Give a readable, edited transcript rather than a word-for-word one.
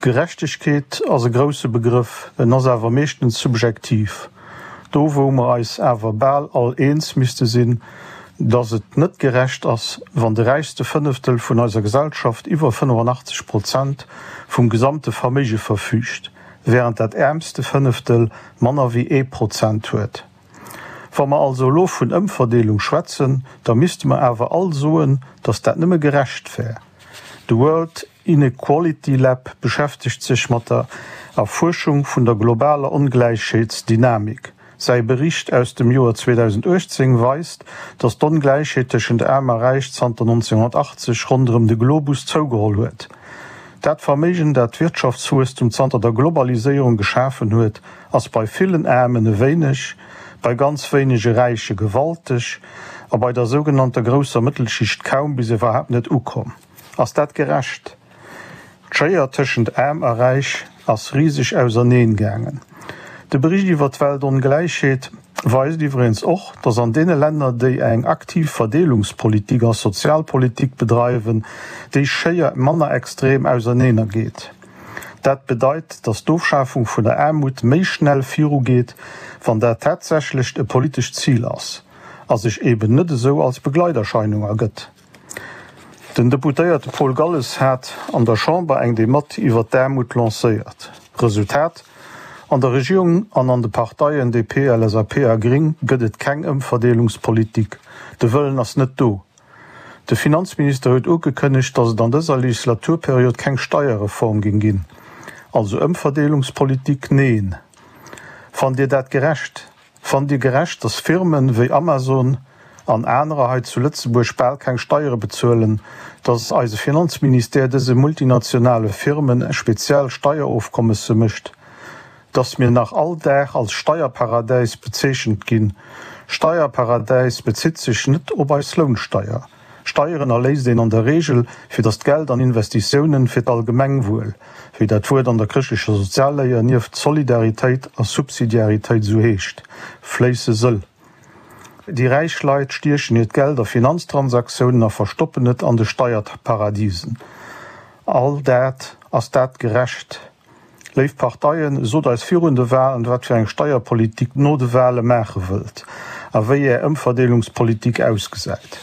Gerechtegkeet ass e grousse Begrëff, en ass awer meeschtens subjektiv. Do wou mer eis awer bal all eens misste sinn, datt et net gerecht ass, wann de räichste Fënneftel vun eiser Gesellschaft iwwer 85 Prozent vum gesamte Verméige verfüügt, wärend dat äermste Fënneftel manner wéi ee Prozent huet. Wa mer also elo vun Ëmverdeelung schwätzen, da misste mer awer all soen, datt dat nëmme gerecht wär. De World Inequality Lab beschäftegt sech mat der Erfuerschung vun der globaler Ongläichheetsdynamik. Säi Bericht aus dem Joer 2018 weist, datt d'Ongläichheet tëschent Aarm a Räich zanter 1980 ronderëm de Globus zougeholl huet. Dat Verméigen, dat d'Wirtschaftswuesstum zanter der Globaliséierung geschafen huet, ass bei villen Aarmen e wéineg, bei ganz wéinege Räiche gewalteg a bei der sougenannter grousser Mëttelschicht kaum bis iwwerhaapt net ukomm. Ass dat gerecht? D'Schéier tëschent Aarm a Räich ass riseg auserneen gaangen. De Bericht iwwer d'Weltongläichheet weist iwweregens och, datt an deene Länner, déi eng aktiv Verdeelungspolitik a Sozialpolitik bedreiwen, déi Schéier manner extrem auserneener geet. Dat bedeit, datt d'Ofschafung vun der Aarmut méi schnell virugeet, wann dat tatsächlecht e politescht Zil ass a sech eben net esou als Begleiterscheinung ergëtt. Den Deputéierte Paul Galles hat an der Chamber eng Dematt iwwer d'Aarmut lancéiert. Resultat, An der Regierung an an de Parteien DP, LSAP a Gring gëtt et keng Ëmverdeelungspolitik. De Wëllen ass net do. De Finanzminister huet ugekënnegt, datt et an dëser Legislaturperiod keng Steierreform géing ginn. Also Ëmverdeelungspolitik, neen. Fannt Dir dat gerecht? Fannt Dir gerecht, dass Firmen wéi Amazon an anerer hei zu Lëtzebuerg bal keng Steiere bezuelen, dass eise Finanzministère dëse multinationale Firmen speziell Steierofkommesse mécht, dass mir nach all Dag als Steierparadäis bezeechent ginn? Steierparadäis bezitt sech net op eis Lounsteier. Steieren erléist een an der Reegel, fir datt d'Geld an Investitiounen fir d'Allgemengwuel, wéi dat Wuert an der chrëschtlecher Sozialléier nieft Solidaritéit a Subsidiaritéit esou heescht, fléisse sëll. Déi räich Leit stiechen hiert Geld a Finanztransaktiounen a verstoppen et an de Steierparadisen. All dat, ass dat gerecht? Léif Parteien, sot eis virun de Walen, wat fir eng Steierpolitik no de Wale maache wëllt a wéi Är Ëmverdeelungspolitik ausgesäit.